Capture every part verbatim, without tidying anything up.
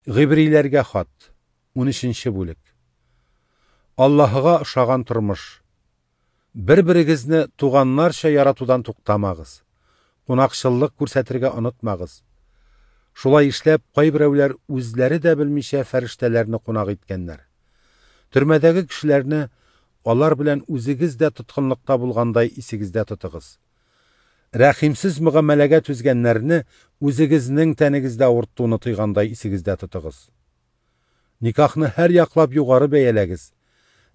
Гыйбриләргә хат, унөченче бүлек. Аллаһыга ошаган тормыш. Бер-берегезне туганнарча яратудан туктамагыз. Кунакчыллык күрсәтергә онытмагыз. Шулай эшләп, кайберәүләр үзләре дә белмичә фәрештәләрне кунак иткәннәр. Төрмәдәге кешеләрне алар белән үзегез дә тоткынлыкта булгандай исегездә тотыгыз. Рәхимсез мөгамәләгә түзгәннәрне үзегезнең тәнегездә авыртуны тойгандай исегездә тотыгыз. Никахны һәр яклап югары бәяләгез.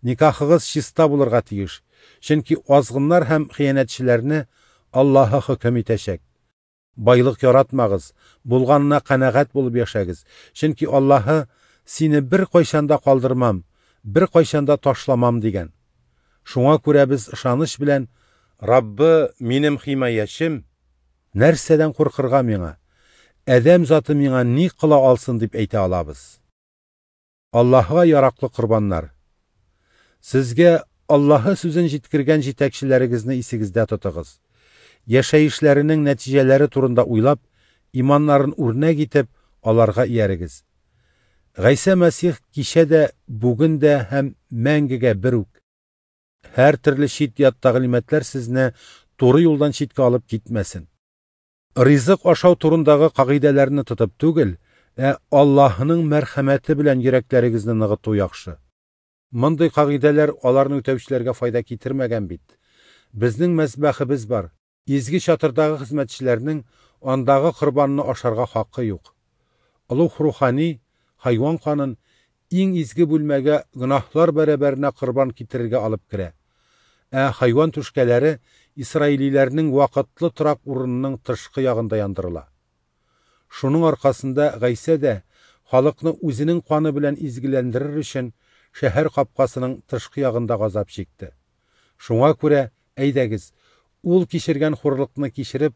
Никахыгыз чиста булырга тиеш, чөнки азгыннар һәм хыянәтчеләрне Аллаһы хөкем итәчәк. Байлык яратмагыз, булганына канәгать булып яшәгез, чөнки Аллаһы сине бер кайчан да калдырмам, бер кайчан да ташламам дигән. Шуңа күрә без ышаныч белән Раббы минем химаячем, нәрсәдән куркырга миңа? Адәм заты миңа ни кыла алсын дип әйтә алабыз. Аллаһыга яраклы корбаннар. Сезгә Аллаһы сүзен җиткергән җитәкчеләрегезне исегездә тотыгыз. Яшәешләренең нәтиҗәләре турында уйлап, иманнарын үрнәк итеп, аларга иярегез. Гайсә Мәсих кичә дә, бүген дә һәм мәңгегә бер үк. Һәр төрле чит-ят тәгълиматлар сезне туры юлдан читкә алып китмәсен. Ризык ашау турындагы кагыйдәләрне тотып түгел, ә Аллаһының мәрхәмәте белән йөрәкләрегезне ныгыту яхшы. Мондый кагыйдәләр аларны үтәүчеләргә файда китермәгән бит. Безнең мәзбәхебез бар. Изге чатырдагы хезмәтчеләрнең андагы корбанны ашарга хакы юк. Олуг рухани хайван канын иң изге бүлмәгә гөнаһлар бәрабәренә корбан китерергә алып керә. Ә хайван түшкәләре исраилиләрнең вакытлы торак урынының тышкы ягында яндырыла. Шуның аркасында Гайсә дә халыкны үзенең каны белән изгеләндерер өчен шәһәр капкасының тышкы ягында газап чикте. Шуңа күрә, әйдәгез, ул кичергән хурлыкны кичереп,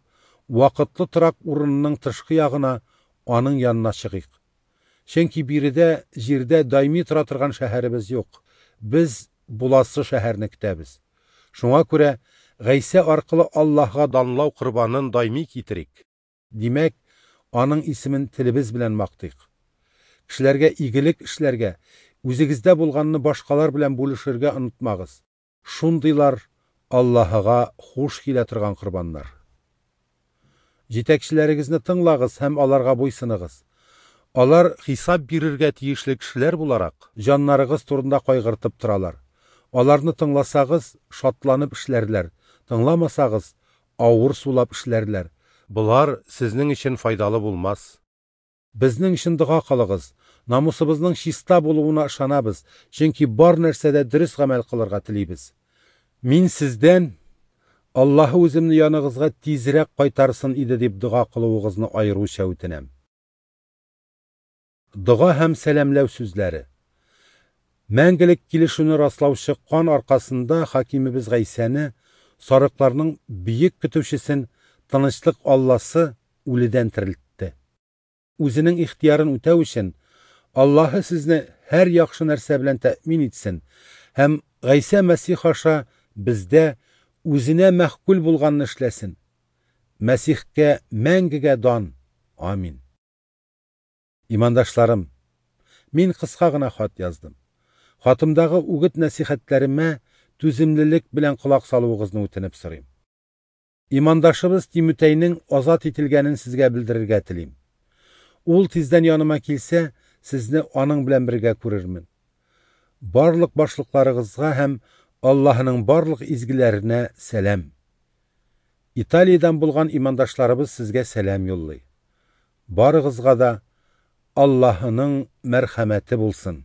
вакытлы торак урынының тышкы ягына аның янына чыгыйк. Чөнки биредә җирдә даими тора торган шәһәребез юк. Без буласы шәһәрне көтәбез. Шуңа күрә Гайсә аркылы Аллаһка данлау корбанын даими китерик. Димәк, аның исемен телебез белән мактыйк. Кешеләргә игелек эшләргә, үзегездә булганны башкалар белән бүлешергә онытмагыз. Шундыйлар Аллаһыга хуш килә торган корбаннар. Җитәкчеләрегезне тыңлагыз һәм аларга буйсыныгыз. Алар хисап бирергә тиешле кешеләр буларак, җаннарыгыз турында кайгыртып торалар. Аларны тыңласагыз, шатланып эшләрләр, тыңламасагыз, авыр сулап эшләрләр. Болар сезнең өчен файдалы булмас. Безнең өчен дога кылыгыз. Намусыбызның чиста булуына ышанабыз, чөнки бар нәрсәдә дөрес гамәл кылырга телибез. Мин сездән Аллаһы үземне яныгызга тизрәк кайтарсын иде дип дога кылуыгызны аеруча үтенәм. Дога һәм сәламләү сүзләре. Мәңгелек килешүне раслаучы кан аркасында хакимебез Гайсәне, сарыкларның бөек көтүчесен, тынычлык Алласы үледән терелтте. Үзенең ихтыярын үтәү өчен Аллаһы сезне һәр яхшы нәрсә белән тәэмин итсен һәм Гайсә Мәсих аша бездә үзенә мәхкүл булганны эшләсен. Мәсихкә мәңгегә дан. Амин. Имандашларым, мин кыска гына хат яздым. Хатымдагы үгет нәсихәтләремә түземлелек белән колак салуыгызны үтенеп сорыйм. Имандашыбыз Тимутәйнең азат ителгәнен сезгә белдерергә телим. Ул тиздән яныма килсә, сезне аның белән бергә күрермен. Барлык башлыкларыгызга һәм Аллаһының барлык изгеләренә сәлам. Италиядән булган имандашларыбыз сезгә сәлам юллый. Барыгызга да Аллаһының мәрхәмәте булсын.